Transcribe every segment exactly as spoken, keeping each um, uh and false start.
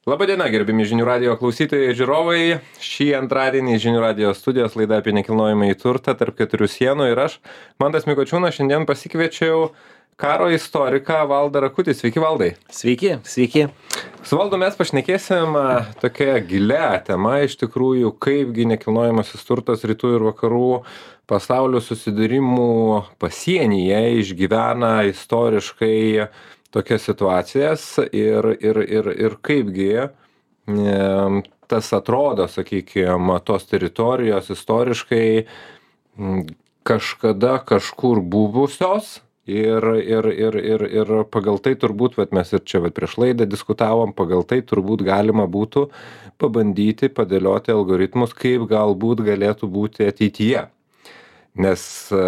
Labadiena, gerbimi žinių radijo klausytojai ir žiūrovai. Šį antradienį žinių radijo studijos laida apie nekilnojamąjį turtą tarp keturių sienų ir aš, Mantas Mikočiūnas, šiandien pasikviečiau karo istoriką Valdą Rakutį. Sveiki, Valdai. Sveiki, sveiki. Su Valdu mes pašnekėsim tokia gilia tema iš tikrųjų, kaipgi nekilnojamasis turtas rytų ir vakarų pasaulio susidūrimų pasienyje išgyvena istoriškai tokias situacijas ir, ir, ir, ir kaipgi e, tas atrodo, sakykime, tos teritorijos istoriškai m, kažkada kažkur buvusios ir, ir, ir, ir, ir pagal tai turbūt, vat mes ir čia vat prieš laidą diskutavom, pagal tai turbūt galima būtų pabandyti padėlioti algoritmus, kaip galbūt galėtų būti ateityje. Nes e,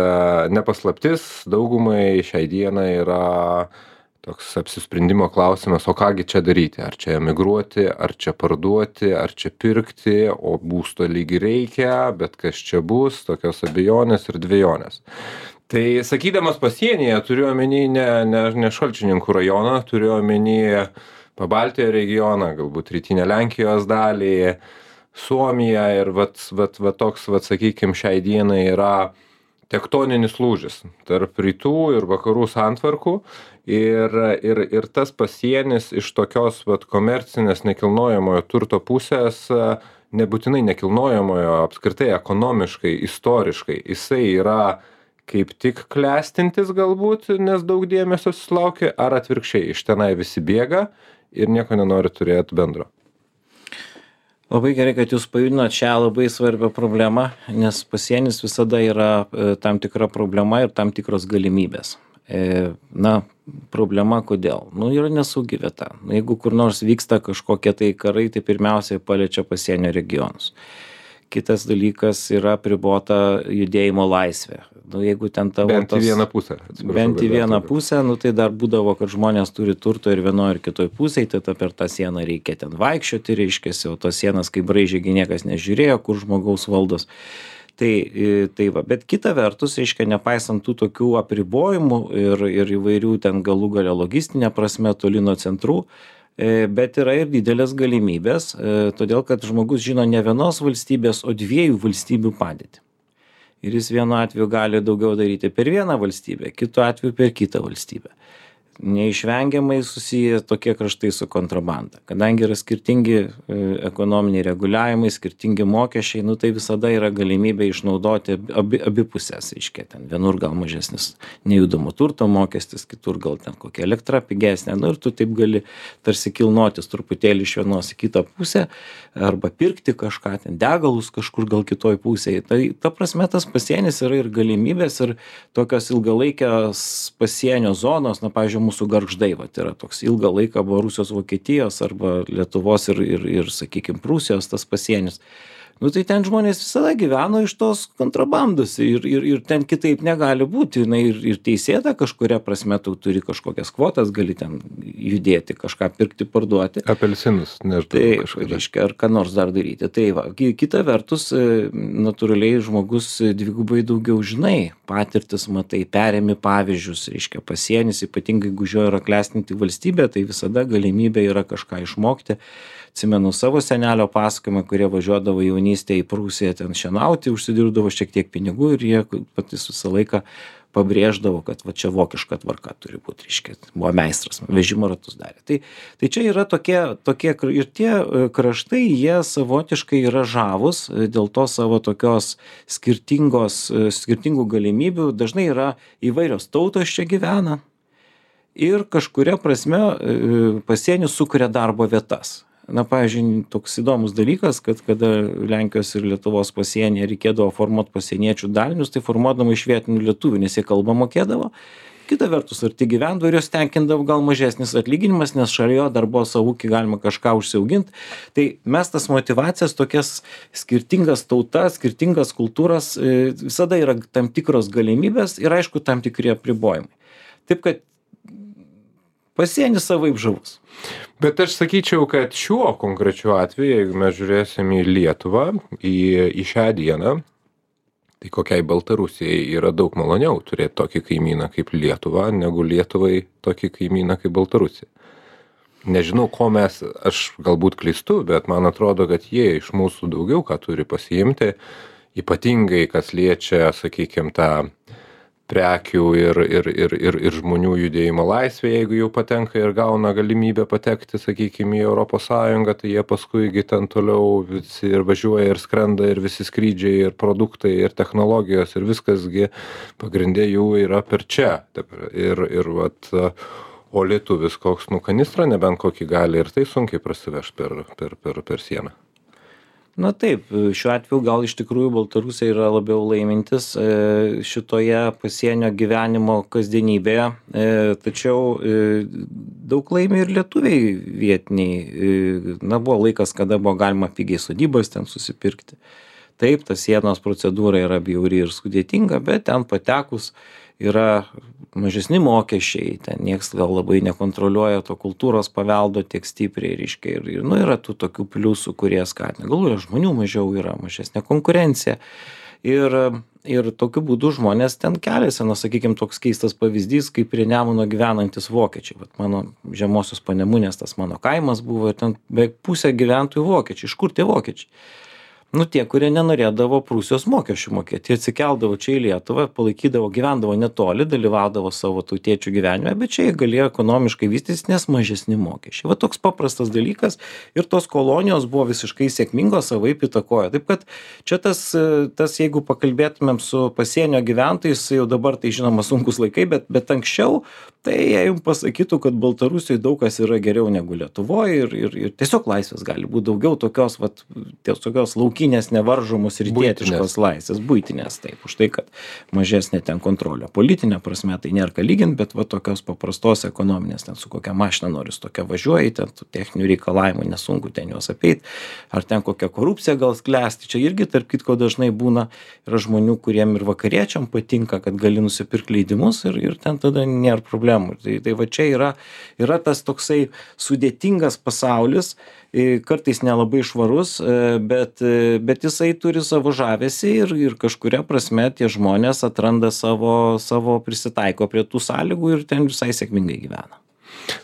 nepaslaptis daugumai šiai dienai yra toks apsisprendimo klausimas, o kągi čia daryti, ar čia emigruoti, ar čia parduoti, ar čia pirkti, o būsto lygi reikia, bet kas čia bus, tokios abejonės ir dvejonės. Tai sakydamas pasienyje, turiu omeny ne, ne, ne Šalčininkų rajoną, turiu omeny Pabaltijo regioną, galbūt rytinę Lenkijos dalį, Suomiją ir vat, vat, vat toks, vat, sakykime, šiai dienai yra tektoninis lūžis tarp rytų ir vakarų santvarkų ir, ir, ir tas pasienis iš tokios vat, komercinės nekilnojamojo turto pusės, nebūtinai nekilnojamojo, apskritai ekonomiškai, istoriškai, jisai yra kaip tik klestintis galbūt, nes daug dėmesio susilaukia, ar atvirkščiai, iš tenai visi bėga ir nieko nenori turėti bendro. Labai gerai, kad jūs pajudinot šią labai svarbią problemą, nes pasienis visada yra e, tam tikra problema ir tam tikros galimybės. E, na, problema kodėl? Nu, yra nesaugi vieta. Nu, jeigu kur nors vyksta kažkokie tai karai, tai pirmiausiai paliečia pasienio regionus. Kitas dalykas yra apribota judėjimo laisvė. Nu, jeigu ten tavo bent į tos, vieną pusę. Bent į vieną pusę, nu, tai dar būdavo, kad žmonės turi turto ir vienoje ir kitoje pusėje, tai ta per tą sieną reikia ten vaikščioti, reiškiasi, o tos sienas kaip braižėgi niekas nežiūrėjo, kur žmogaus valdos. Tai, tai va, bet kita vertus, reiškia, nepaisant tų tokių apribojimų ir, ir įvairių ten galų gale logistinė prasme toli nuo centrų, bet yra ir didelės galimybės, todėl kad žmogus žino ne vienos valstybės, o dviejų valstybių padėtį. Ir jis vienu atveju gali daugiau daryti per vieną valstybę, kitu atveju per kitą valstybę. Neišvengiamai susiję tokie kraštai su kontrabanda. Kadangi yra skirtingi e, ekonominiai reguliavimai, skirtingi mokesčiai, nu, tai visada yra galimybė išnaudoti abi, abi pusės. Iškia, ten vienur gal mažesnis nejudamo turto mokestis, kitur gal ten kokia elektra pigesnė. Nu, ir tu taip gali tarsi kilnotis truputėlį iš vienos į kitą pusę arba pirkti kažką, ten degalus kažkur gal kitoj pusėje. Tai ta prasme tas pasienis yra ir galimybės ir tokios ilgalaikės pasienio zonos, na, pavyzdžiui, mūsų Gargždai, vat, yra toks ilgą laiką buvo Rusijos, Vokietijos arba Lietuvos ir, ir, ir sakykime, Prūsijos tas pasienis. Nu, tai ten žmonės visada gyveno iš tos kontrabandos ir, ir, ir ten kitaip negali būti. Na, ir, ir teisėta kažkuria prasme, tu turi kažkokias kvotas, gali ten judėti, kažką pirkti, parduoti. Apelsinus, nežinau. Tai, reiškia, ar ką nors dar daryti. Tai va, kita vertus, natūraliai žmogus dvigubai daugiau žinai, patirtis matai, perėmi pavyzdžius, reiškia, pasienis, ypatingai jeigu jo yra klestinti valstybė, tai visada galimybė yra kažką išmokti. Atsimenu savo senelio pasakojimą, kurie važiuodavo jaunystėje į Prūsiją ten šienauti, užsidirbdavo šiek tiek pinigų ir jie patys visą laiką pabrėždavo, kad va čia vokiška tvarka turi būti, reiškia, buvo meistras, vežimo ratus darė. Tai, tai čia yra tokie, tokie ir tie kraštai, jie savotiškai yra žavus dėl to savo tokios skirtingos, skirtingų galimybių, dažnai yra įvairios tautos čia gyvena ir kažkuria prasme pasienis sukuria darbo vietas. Na, pavyzdžiui, toks įdomus dalykas, kad kada Lenkijos ir Lietuvos pasienyje reikėdavo formuoti pasieniečių dalinius, tai formuodama iš vietinių lietuvių, nes jie kalbą mokėdavo. Kita vertus, arti gyvendavo ir jos tenkindavo gal mažesnis atlyginimas, nes šalia jo dar buvo savo ūkį galima kažką užsiauginti. Tai mes tas motivacijas, tokias skirtingas tautas, skirtingas kultūras, visada yra tam tikros galimybės ir aišku tam tikri apribojimai. Taip kad pasienis savaip žavus. Bet aš sakyčiau, kad šiuo konkrečiu atveju, jeigu mes žiūrėsim į Lietuvą, į, į šią dieną, tai kokiai Baltarusijai yra daug maloniau turėti tokį kaimyną kaip Lietuva, negu Lietuvai tokį kaimyną kaip Baltarusija. nežinau, ko mes, aš galbūt klystu, bet man atrodo, kad jie iš mūsų daugiau ką turi pasiimti, ypatingai kas liečia, sakykime, tą prekių ir, ir, ir, ir, ir žmonių judėjimo laisvė, jeigu jau patenka ir gauna galimybę patekti, sakykime, į Europos Sąjungą, tai jie paskuigi ten toliau visi ir važiuoja, ir skrenda, ir visi skrydžiai, ir produktai, ir technologijos, ir viskasgi pagrindė jų yra per čia. Ir, ir vat, o lietuvis koks, nu, kanistrą nebent kokį gali, ir tai sunkiai prasiveš per, per, per, per sieną. Na taip, šiuo atveju gal iš tikrųjų baltarusiai yra labiau laimintis šitoje pasienio gyvenimo kasdienybėje, tačiau daug laimi ir lietuviai vietiniai. Na, buvo laikas, kada buvo galima pigiai sodybas ten susipirkti. Taip, ta sienos procedūra yra bjauri ir sudėtinga, bet ten patekus yra mažesni mokesčiai, ten nieks gal labai nekontroliuoja to kultūros paveldo tiek stipriai, reiškia, ir, ir nu, yra tų tokių pliusų, kurie skatina. Galų yra žmonių mažiau, yra mažesnė konkurencija. Ir, ir tokiu būdu žmonės ten keliasi, na, sakykime, toks keistas pavyzdys, kaip prie Nemuno gyvenantis vokiečiai. Vat mano žemosios Panemunės tas mano kaimas buvo, ir ten beveik pusė gyventojų vokiečiai. Iš kur tie vokiečiai? Nu, tie, kurie nenorėdavo Prūsijos mokesčių mokėti, jie atsikeldavo čia į Lietuvą, palaikydavo, gyvendavo netoli, dalyvaudavo savo tautiečių gyvenime, bet čia jie galėjo ekonomiškai vystytis, nes mažesni mokesčiai. Va toks paprastas dalykas, ir tos kolonijos buvo visiškai sėkmingos, savaip įtakojo. Taip kad čia tas, tas jeigu pakalbėtumėm su pasienio gyventojais, jau dabar tai žinoma sunkus laikai, bet, bet anksčiau, tai jie jums pasakytų, kad Baltarusijoje daug kas yra geriau negu Lietuvoje, ir, ir, ir tiesiog laisvės gali būti daugiau, tokios, vat, tokios laukinės, nevaržomos ir tietiškos laisvės, buitinės, taip, už tai, kad mažesnė ten kontrolė. Politinė prasme tai nėra ką lygint, bet va tokios paprastos ekonominės, ten su kokia mašina nori, su tokia važiuoji, ten tų techninių reikalavimų nesunku ten juos apeit, ar ten kokia korupcija gal sklęsti. Čia irgi, tarp kitko, dažnai būna, yra žmonių, kuriem ir vakariečiam patinka, kad gali nusipirkti leidimus, ir, ir ten tada nėra problemų. Tai, tai va čia yra, yra tas toksai sudėtingas pasaulis, kartais nelabai švarus, bet, bet jisai turi savo žavesį, ir, ir kažkuria prasme tie žmonės atranda savo, savo prisitaiko prie tų sąlygų ir ten visai sėkmingai gyvena.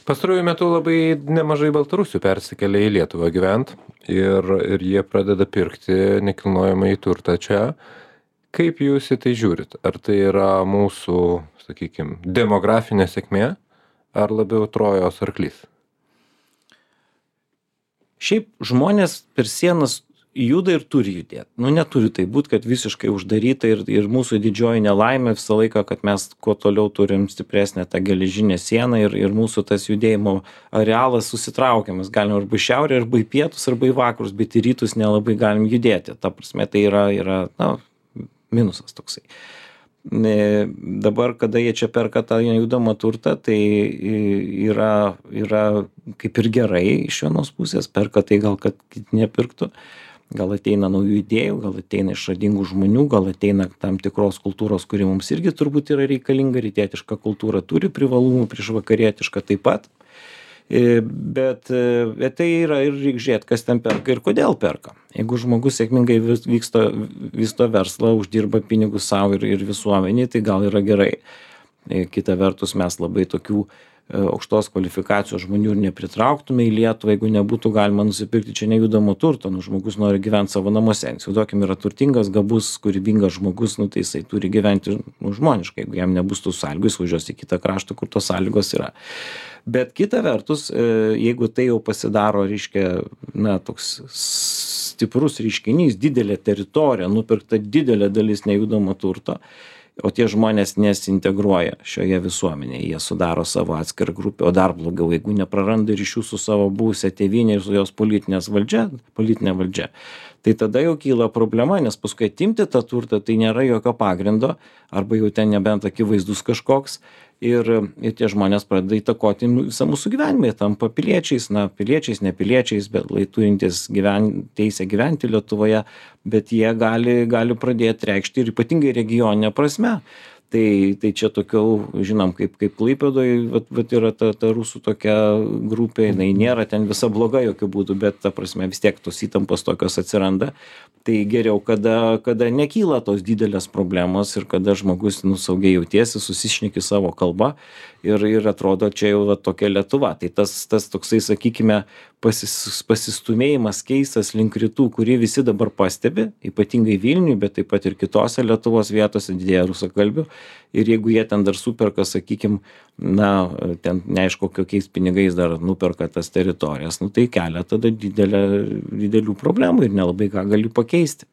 Pastaruoju metu labai nemažai baltarusių persikelia į Lietuvą gyvent, ir, ir jie pradeda pirkti nekilnojamąjį turtą čia. Kaip jūs į tai žiūrit? Ar tai yra mūsų, sakykime, demografinė sėkmė, ar labiau Trojos arklys? Šiaip žmonės per sienas juda ir turi judėti. Nu, neturi tai būti, kad visiškai uždaryta, ir, ir mūsų didžioji nelaimė visą laiką, kad mes kuo toliau turim stipresnę tą geležinę sieną, ir, ir mūsų tas judėjimo arealas susitraukia. Mes galim arba į šiaurę, arba į pietus, arba į vakarus, bet į rytus nelabai galim judėti. Ta prasme, tai yra, yra na, minusas toksai. Dabar, kada jie čia perka tą nejudamą turtą, tai yra, yra kaip ir gerai iš vienos pusės, perka tai gal, kad kiti nepirktų, gal ateina naujų idėjų, gal ateina išradingų žmonių, gal ateina tam tikros kultūros, kuri mums irgi turbūt yra reikalinga, rytietiška kultūra turi privalumų prieš vakarietišką taip pat. Bet, bet tai yra, ir reikia žiūrėti, kas ten perka ir kodėl perka. Jeigu žmogus sėkmingai vyksto, vysto verslą, uždirba pinigus savo ir, ir visuomenį, tai gal yra gerai. Kita vertus, mes labai tokių aukštos kvalifikacijos žmonių ir nepritrauktume į Lietuvą, jeigu nebūtų galima nusipirkti čia nejudamo turto. Nu, žmogus nori gyventi savo namuose. Įsivaizduokim, yra turtingas, gabus, kūrybingas žmogus, nu, tai jisai turi gyventi nu, žmoniškai. Jeigu jam nebus tų sąlygų, jis važiuos į kitą kraštą, kur tos sąlygos yra. Bet kita vertus, jeigu tai jau pasidaro, reiškia, na, toks stiprus reiškinys, didelė teritorija, nupirkta didelė dalis nejudamo turto, o tie žmonės nesintegruoja šioje visuomenėje, jie sudaro savo atskirą grupę, o dar blogiau, jeigu nepraranda ryšių su savo buvusia tėvynė ir su jos politinės valdžia, politinė valdžia, tai tada jau kyla problema, nes paskui atimti tą turtą, tai nėra jokio pagrindo, arba jau ten nebent akivaizdus kažkoks, ir, ir tie žmonės pradeda įtakoti visą mūsų gyvenimą, jie tampa piliečiais, na, piliečiais, nepiliečiais, bet lai turintys gyven, teisę gyventi Lietuvoje, bet jie gali, gali pradėti reikšti ir ypatingai regioninė prasme. Tai, tai čia tokių, žinom, kaip, kaip Klaipėdoj, vat, vat yra ta, ta rusų tokia grupė, jinai nėra ten visa bloga jokių būdų, bet ta prasme vis tiek tos įtampos tokios atsiranda. Tai geriau, kada, kada nekyla tos didelės problemos ir kada žmogus nu, saugiai jautiesi, susišneki savo kalbą ir, ir atrodo čia jau va, tokia Lietuva. Tai tas, tas toksai, sakykime, pasis, pasistumėjimas keistas link rytų, kurį visi dabar pastebi, ypatingai Vilniui, bet taip pat ir kitose Lietuvos vietose didėja rusakalbių. Ir jeigu jie ten dar superka, sakykim, na, ten neaišku, kokiais pinigais dar nuperka tas teritorijas, nu tai kelia tada didelę, didelių problemų ir nelabai ką gali pakeisti.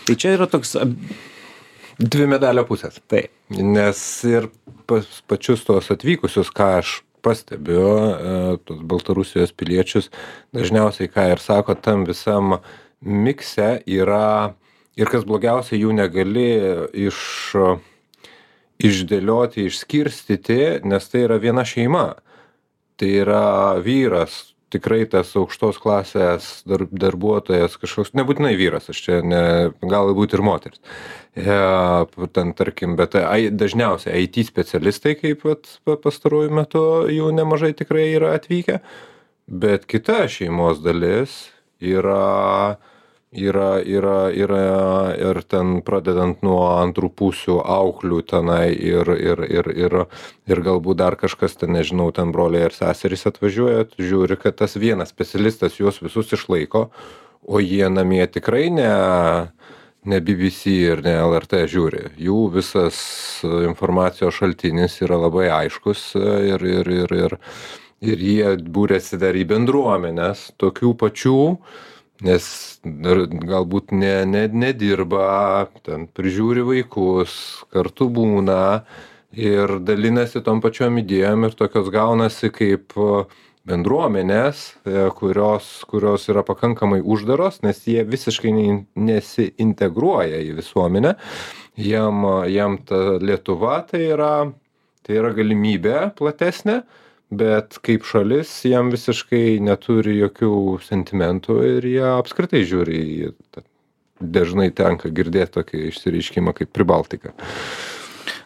Tai čia yra toks... Dvi medalio pusės. Taip. Nes ir pas, pačius tos atvykusius, ką aš pastebiu, tos Baltarusijos piliečius, dažniausiai, ką ir sako, tam visam mikse yra, ir kas blogiausia, jų negali iš... išdėlioti, išskirstyti, nes tai yra viena šeima. Tai yra vyras, tikrai tas aukštos klasės dar, darbuotojas, kažkoks, nebūtinai vyras, aš čia ne, galbūt ir moteris. E, ten, tarkim, bet ai, dažniausiai I T specialistai, kaip vat, pastaruoju metu jų nemažai tikrai yra atvykę, bet kita šeimos dalis yra... Yra, yra, yra ir ten pradedant nuo antrų pusių auklių tenai ir, ir, ir, ir, ir galbūt dar kažkas ten, nežinau, ten broliai ir seserys atvažiuoja, žiūri, kad tas vienas specialistas juos visus išlaiko, o jie namie tikrai ne, ne B B C ir ne L R T žiūri. Jų visas informacijos šaltinis yra labai aiškus ir, ir, ir, ir, ir jie būrėsi dar į bendruomenės tokių pačių, nes galbūt ne, ne, nedirba, ten prižiūri vaikus, kartu būna ir dalinasi tom pačiom idėjom ir tokios gaunasi kaip bendruomenės, kurios, kurios yra pakankamai uždaros, nes jie visiškai nesiintegruoja į visuomenę. Jam, jam ta Lietuva tai yra, tai yra galimybė platesnė, bet kaip šalis jam visiškai neturi jokių sentimentų ir jie apskritai žiūri į, dažnai tenka girdėti tokį išsireiškimą kaip Pribaltika.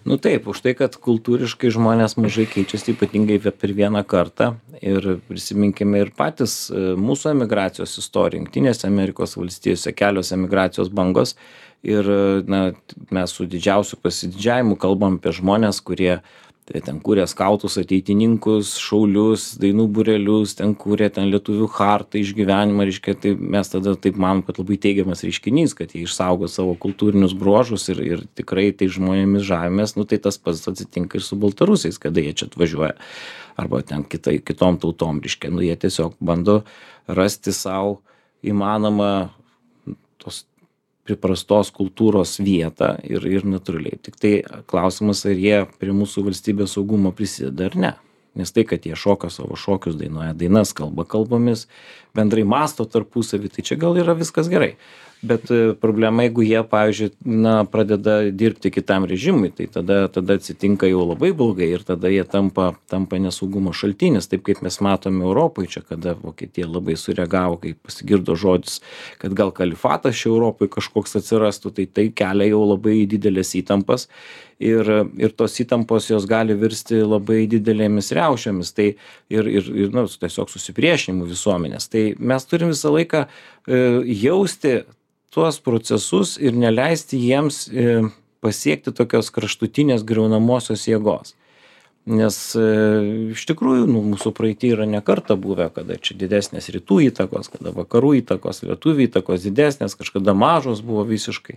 Nu taip, už tai, kad kultūriškai žmonės mažai keičiasi, ypatingai per vieną kartą. Ir prisiminkime ir patys mūsų emigracijos istoriją. Jungtinėse Amerikos valstijose kelios emigracijos bangos. Ir na, mes su didžiausiu pasididžiavimu kalbam apie žmonės, kurie tai ten kūrė skautus, ateitininkus, šaulius, dainų būrelius, ten kūrė ten lietuvių chartą, išgyvenimą, reiškia, tai mes tada taip manom, kad labai teigiamas reiškinys, kad jie išsaugo savo kultūrinius bruožus ir, ir tikrai tai žmonėmis žavimės, nu tai tas pats atsitinka ir su baltarusiais, kada jie čia atvažiuoja, arba ten kitai, kitom tautom, reiškia, nu jie tiesiog bando rasti savo įmanomą tos priprastos kultūros vietą ir, ir natūraliai. Tik tai klausimas, ar jie prie mūsų valstybės saugumo prisideda ar ne. Nes tai, kad jie šoka savo šokius, dainuoja dainas, kalba kalbomis, bendrai masto tarpusavį, tai čia gal yra viskas gerai. Bet problema, jeigu jie, pavyzdžiui, na, pradeda dirbti kitam režimui, tai tada, tada atsitinka jau labai blogai ir tada jie tampa, tampa nesaugumo šaltinis, taip kaip mes matome Europoje, čia kada Vokietija labai sureagavo, kai pasigirdo žodis, kad gal kalifatas čia Europoje kažkoks atsirastų, tai tai kelia jau labai didelės įtampas ir, ir tos įtampos jos gali virsti labai didelėmis riaušėmis, tai ir, ir, ir nu, tiesiog susipriešinimu visuomenės. Tai mes turim visą laiką e, jausti tuos procesus ir neleisti jiems e, pasiekti tokios kraštutinės griaunamosios jėgos. Nes e, iš tikrųjų nu, mūsų praeity yra ne kartą buvę, kada čia didesnės rytų įtakos, kada vakarų įtakos, lietuvių įtakos didesnės, kažkada mažos buvo visiškai.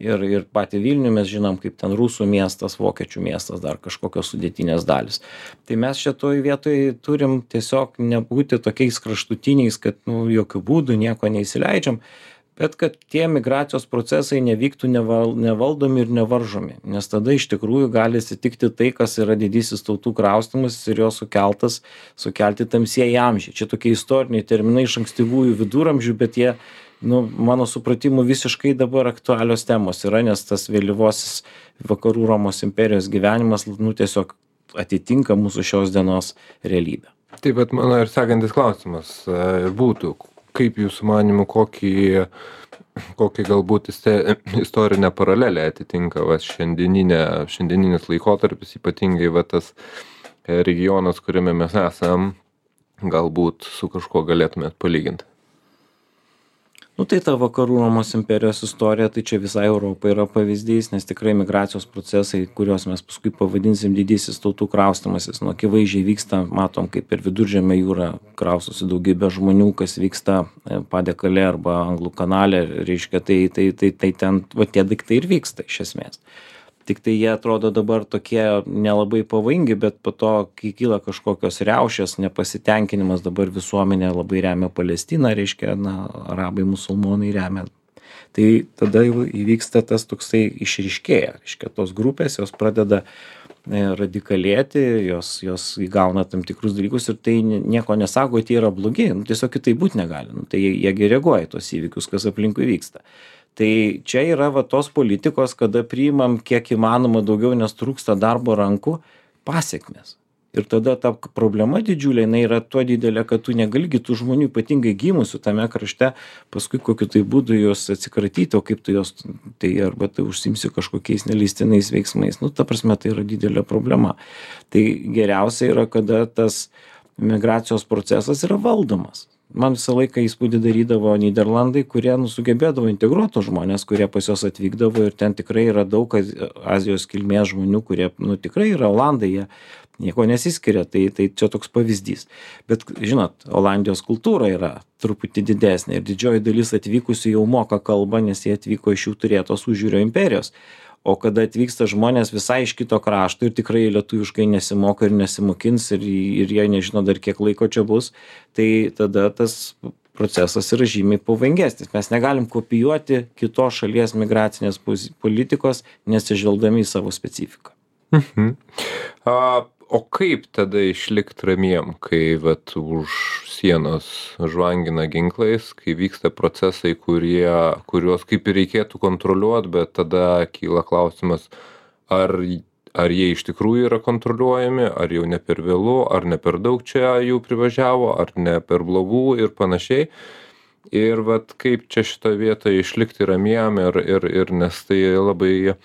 Ir, ir patį Vilnių mes žinom, kaip ten rusų miestas, vokiečių miestas, dar kažkokios sudėtinės dalis. Tai mes šitoj vietoj turim tiesiog nebūti tokiais kraštutiniais, kad nu, jokių būdų nieko neįsileidžiam, bet kad tie migracijos procesai nevyktų neval, nevaldomi ir nevaržomi, nes tada iš tikrųjų gali atsitikti tai, kas yra didysis tautų kraustymas ir jo sukeltas, sukelti tamsieji amžiai. Čia tokie istoriniai terminai iš ankstyvųjų viduramžių, bet jie, nu, mano supratimu, visiškai dabar aktualios temos yra, nes tas vėlyvosis vakarų Romos imperijos gyvenimas, nu, tiesiog atitinka mūsų šios dienos realybę. Taip, bet mano ir sekantis klausimas būtų, kaip jūsų manymu, kokį kokią galbūt iste istorinę paralelę atitinka va šiandieninė šiandieninis laikotarpis, ypatingai va tas e, regionas, kuriame mes esam, galbūt su kažkuo galėtumėt palygint? Nu tai ta vakarų Romos imperijos istorija, tai čia visai Europai yra pavyzdys, nes tikrai migracijos procesai, kuriuos mes paskui pavadinsim didysis tautų kraustymasis, nu akivaizdžiai vyksta, matom, kaip per Viduržemio jūrą kraustosi daugybė žmonių, kas vyksta e, Padekale arba Anglų kanale, reiškia, tai, tai, tai, tai ten va tie daiktai ir vyksta iš esmės. Tik tai jie atrodo dabar tokie nelabai pavojingi, bet po to, kai kyla kažkokios riaušės, nepasitenkinimas, dabar visuomenė labai remia Palestiną, reiškia, na, arabai, musulmonai remia. Tai tada jau įvyksta tas toksai išryškėja, reiškia, tos grupės, jos pradeda e, radikalėti, jos, jos įgauna tam tikrus dalykus ir tai nieko nesako, tie yra blogi, nu, tiesiog kitaip būti negali, nu, tai jie, jie reaguoja į tos įvykius, kas aplinkui vyksta. Tai čia yra va tos politikos, kada priimam kiek įmanoma daugiau, nes trūksta darbo rankų, pasiekmes. Ir tada ta problema didžiulė, jinai yra tuo didelė, kad tu negali tų žmonių ypatingai gimusių tame krašte, paskui kokiu tai būdu juos atsikratyti, o kaip tu juos, tai arba tai užsimsi kažkokiais neleistinais veiksmais. Nu, ta prasme, tai yra didelė problema. Tai geriausia yra, kada tas migracijos procesas yra valdomas. Man visą laiką įspūdį darydavo Nyderlandai, kurie nu, sugebėdavo integruoti žmonės, kurie pas juos atvykdavo ir ten tikrai yra daug Azijos kilmės žmonių, kurie nu, tikrai yra Olandai, jie nieko nesiskiria, tai, tai čia toks pavyzdys. Bet žinot, Olandijos kultūra yra truputį didesnė ir didžioji dalis atvykusių jau moka kalbą, nes jie atvyko iš jų turėtos užjūrio imperijos. O kada atvyksta žmonės visai iš kito krašto ir tikrai lietuviškai nesimoka ir nesimokins ir, ir jie nežino dar kiek laiko čia bus, tai tada tas procesas yra žymiai pavojingesnis. Mes negalim kopijuoti kitos šalies migracinės politikos, nesižvelgdami į savo specifiką. Mhm. A, o kaip tada išlikt ramiem, kai vat už sienos žvangina ginklais, kai vyksta procesai, kurie, kuriuos kaip ir reikėtų kontroliuoti, bet tada kyla klausimas, ar, ar jie iš tikrųjų yra kontroliuojami, ar jau ne per vėlu, ar ne per daug čia jų privažiavo, ar ne per blogų ir panašiai. Ir vat kaip čia šitą vietą išlikti ramiem ir, ir, ir nes tai labai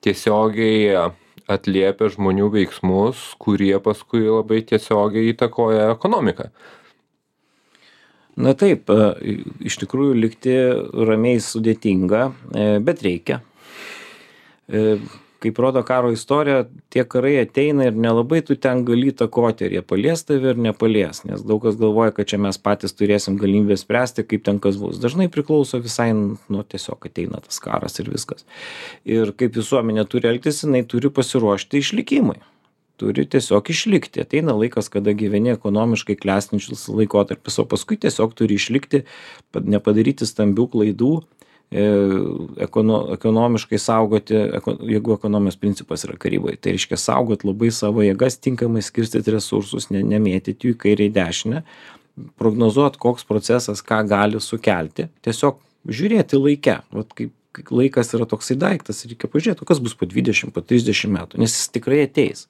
tiesiogiai atliepia žmonių veiksmus, kurie paskui labai tiesiogiai įtakoja ekonomiką. Na taip, iš tikrųjų likti ramiai sudėtinga, bet reikia. Kaip rodo karo istorija, tie karai ateina ir nelabai tu ten gali įtakoti, ar jie palies tave ar nepalies, nes daug kas galvoja, kad čia mes patys turėsim galimybę spręsti, kaip ten kas bus. Dažnai priklauso visai, nu tiesiog ateina tas karas ir viskas. Ir kaip visuomenė turi elgtis, jinai turi pasiruošti išlikimui. Turi tiesiog išlikti. Ateina laikas, kada gyveni ekonomiškai klestinčius laikotarpis, o paskui tiesiog turi išlikti, nepadaryti stambių klaidų, ekono, ekonomiškai saugoti, jeigu ekonomijos principas yra karyboje. Tai reiškia saugoti labai savo jėgas, tinkamai skirstyti resursus, ne, nemėtyti jų į kairę į dešinę, prognozuoti, koks procesas ką gali sukelti, tiesiog žiūrėti laike. Vat kaip laikas yra toksai daiktas, reikia pažiūrėti, kas bus po dvidešimt, po trisdešimt metų, nes jis tikrai ateis.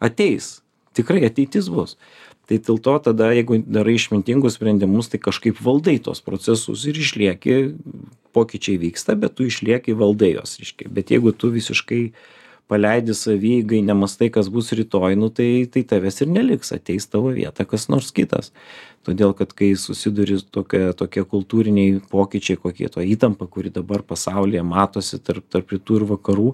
Ateis, tikrai ateitis bus. Tai dėl to tada, jeigu darai išmintingus sprendimus, tai kažkaip valdai tos procesus ir išlieki, pokyčiai vyksta, bet tu išlieki valdai jos, reiškia. Bet jeigu tu visiškai paleidi savygai, nemastai, kas bus rytoj, nu tai, tai tavęs ir neliks, ateis tavo vietą kas nors kitas. Todėl, kad kai susiduri tokie, tokie kultūriniai pokyčiai, kokie to įtampa, kuri dabar pasaulyje matosi tarp, tarp rytų ir vakarų,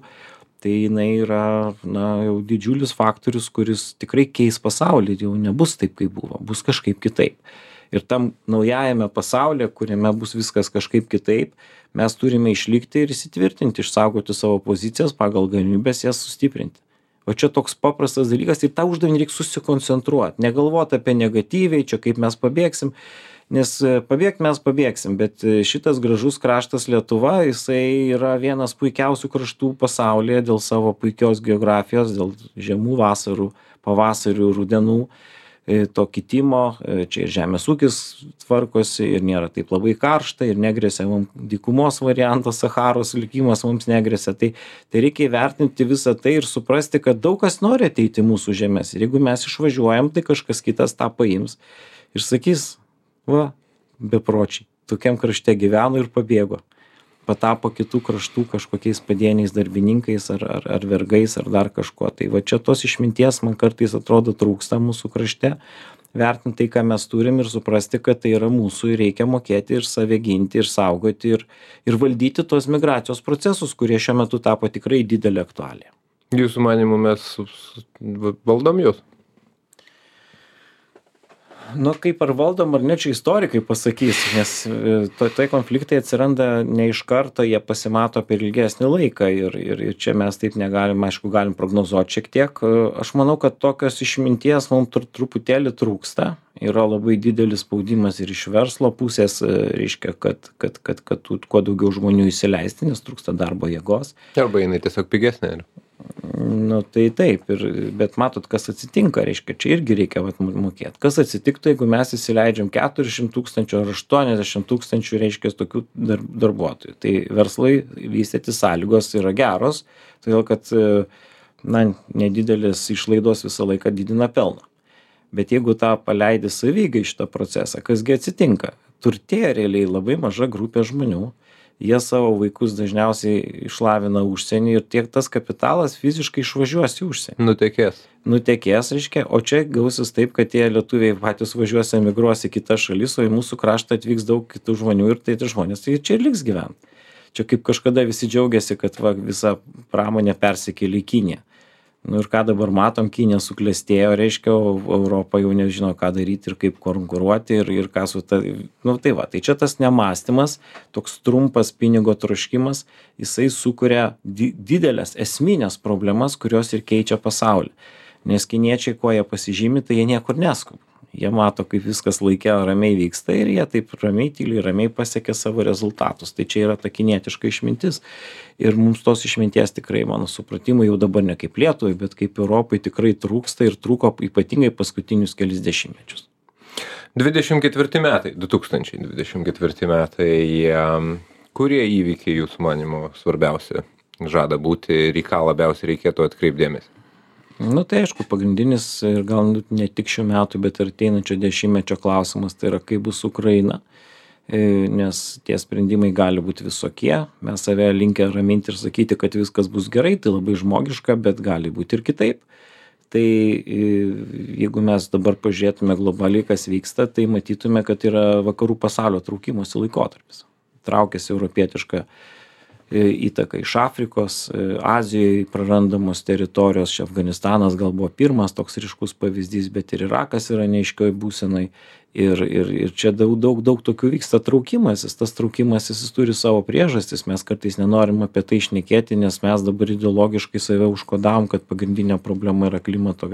tai jinai yra na, jau didžiulis faktorius, kuris tikrai keis pasaulį, jau nebus taip, kaip buvo, bus kažkaip kitaip. Ir tam naujajame pasaulyje, kuriame bus viskas kažkaip kitaip, mes turime išlikti ir įsitvirtinti, išsaugoti savo pozicijas, pagal galimybės jas sustiprinti. O čia toks paprastas dalykas ir tą uždavinį reikia susikoncentruoti, negalvoti apie negatyviai, čia kaip mes pabėgsim, nes pabėgt mes pabėgsim, bet šitas gražus kraštas Lietuva, jisai yra vienas puikiausių kraštų pasaulyje dėl savo puikios geografijos, dėl žemų vasarų, pavasarių, rudenų, to kitimo, čia ir žemės ūkis tvarkosi ir nėra taip labai karšta ir negresia mums dykumos variantas, Sacharos likimas mums negresia, tai, tai reikia įvertinti visą tai ir suprasti, kad daug kas nori ateiti mūsų žemės ir jeigu mes išvažiuojam, tai kažkas kitas tą paims ir sakys, va, bepročiai, tokiam krašte gyveno ir pabėgo. patapo kitų kraštų kažkokiais padieniais darbininkais ar, ar, ar vergais ar dar kažkuo. Tai va čia tos išminties man kartais atrodo trūksta mūsų krašte. Vertinti tai, ką mes turim ir suprasti, kad tai yra mūsų ir reikia mokėti ir save ginti, ir saugoti, ir, ir valdyti tos migracijos procesus, kurie šiuo metu tapo tikrai didelė aktualija. Jūsų manimu mes valdom jūs? Nu, kaip ar valdom, ar ne, čia istorikai pasakys, nes to, tai konfliktai atsiranda ne iš karto, jie pasimato per ilgesnį laiką ir, ir, ir čia mes taip negalim, aišku, galim prognozuoti šiek tiek. Aš manau, kad tokios išminties mums tr truputėlį trūksta, yra labai didelis spaudimas ir iš verslo pusės, reiškia, kad, kad, kad, kad, kad kuo daugiau žmonių įsileisti, nes trūksta darbo jėgos. Arba jinai tiesiog pigesnė. Nu tai taip, ir, bet matot, kas atsitinka, reiškia, čia irgi reikia vat, mokėti. Kas atsitiktų, jeigu mes įsileidžiam keturiasdešimt tūkstančių ar aštuoniasdešimt tūkstančių, reiškia, tokių dar, darbuotojų. Tai verslai vystyti sąlygos yra geros, todėl kad, na, nedidelis išlaidos visą laiką didina pelną. Bet jeigu tą paleidi savygai šitą procesą, kasgi atsitinka? Turtėja realiai labai maža grupė žmonių. Jie savo vaikus dažniausiai išlavina užsienį ir tiek tas kapitalas fiziškai išvažiuos į užsienį. Nutekės. Nutekės, reiškia, o čia gausis taip, kad tie lietuviai patys važiuos, emigruos į kitas šalis, o į mūsų kraštą atvyks daug kitų žmonių ir tai tie žmonės tai čia ir liks gyventi. Čia kaip kažkada visi džiaugiasi, kad va, visa pramonė persikėlė į Kiniją. Nu ir ką dabar matom, Kinija suklestėjo, reiškia, o Europa jau nežino, ką daryti ir kaip konkuruoti ir, ir ką su ta... Nu tai va, tai čia tas nemąstymas, toks trumpas pinigo troškimas, jisai sukuria di didelės esminės problemas, kurios ir keičia pasaulį. Nes kiniečiai, kuo jie pasižymi, tai jie niekur neskuba. Jie mato, kaip viskas laike ramiai vyksta ir jie taip ramiai, tyliai, ramiai pasiekia savo rezultatus. Tai čia yra ta kinietiška išmintis. Ir mums tos išminties tikrai, mano supratimu, jau dabar ne kaip Lietuvai, bet kaip Europai tikrai trūksta ir trūko ypatingai paskutinius kelis dešimtmečius. dvidešimt ketvirti metai, du tūkstančiai dvidešimt ketvirti metai, kurie įvykiai jūsų manymu svarbiausi žada būti ir į ką labiausiai reikėtų atkreipdėmės? Nu tai aišku, pagrindinis ir gal ne tik šių metų, bet ir ateinančio dešimtmečio klausimas, tai yra kaip bus Ukraina, nes tie sprendimai gali būti visokie, mes save linkę raminti ir sakyti, kad viskas bus gerai, tai labai žmogiška, bet gali būti ir kitaip. Tai jeigu mes dabar pažiūrėtume globaliai, kas vyksta, tai matytume, kad yra vakarų pasaulio traukimosi laikotarpis. Traukiasi europietiška įtaka iš Afrikos, Azijoje prarandamos teritorijos, čia Afganistanas gal buvo pirmas toks ryškus pavyzdys, bet ir Irakas yra neaiškioj būsenai ir, ir, ir čia daug, daug, daug tokių vyksta traukimasis, tas traukimasis jis turi savo priežastis, mes kartais nenorim apie tai šnekėti, nes mes dabar ideologiškai save užkodavom, kad pagrindinė problema yra klimato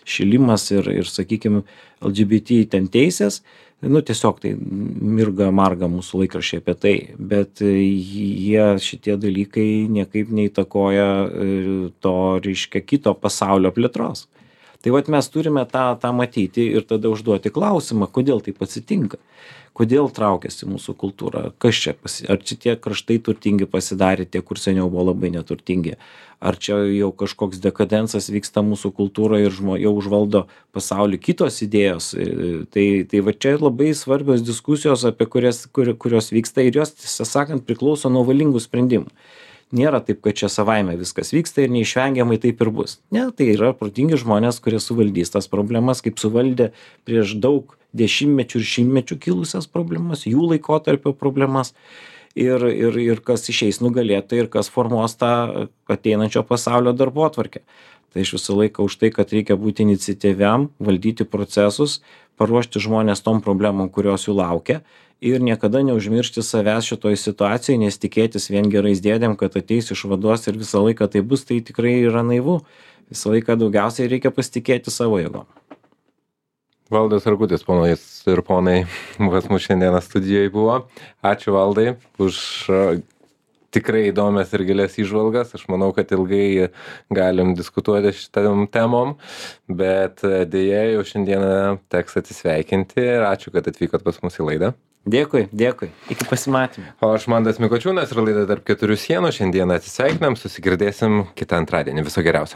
šilimas ir, ir sakykime, L G B T ten teisės. Nu, tiesiog tai mirga marga mūsų laikraščiai apie tai, bet jie šitie dalykai niekaip neįtakoja to, reiškia, kito pasaulio plėtros. Tai vat mes turime tą, tą matyti ir tada užduoti klausimą, kodėl taip atsitinka, kodėl traukiasi mūsų kultūra, kas čia, pasi... ar čia tie kraštai turtingi pasidarė, tie, kur seniau buvo labai neturtingi, ar čia jau kažkoks dekadensas vyksta mūsų kultūroje ir žmo, jau užvaldo pasaulį kitos idėjos. Tai, tai va čia labai svarbios diskusijos, apie kurias, kur, kurios vyksta ir jos, tiesą sakant, priklauso nuo valingų sprendimų. Nėra taip, kad čia savaime viskas vyksta ir neišvengiamai taip ir bus. Ne, tai yra protingi žmonės, kurie suvaldys tas problemas, kaip suvaldė prieš daug dešimtmečių ir šimtmečių kilusias problemas, jų laikotarpio problemas. Ir, ir, ir kas išeis nugalėtojai ir kas formuos tą ateinančio pasaulio darbotvarkę. Tai aš visą laiką už tai, kad reikia būti iniciatyviam, valdyti procesus, paruošti žmonės tom problemom, kurios jų laukia ir niekada neužmiršti savęs šitoj situacijai, nes tikėtis vien gerais dėdėm, kad ateis išvaduos ir visą laiką tai bus, tai tikrai yra naivu. Visą laiką daugiausiai reikia pasitikėti savo jėgom. Valdas Rakutis, ponais ir ponai, pas mus šiandieną studijoje buvo. Ačiū Valdai už tikrai įdomias ir gilias įžvalgas. Aš manau, kad ilgai galim diskutuoti šitam temom, bet dėja jau šiandieną teks atsisveikinti ir ačiū, kad atvykot pas mus į laidą. Dėkui, dėkui. Iki pasimatymų. O aš Mantas Mikočiūnas ir laida Tarp keturių sienų. Šiandieną atsisveikinam, susigirdėsim kitą antradienį. Viso geriausio.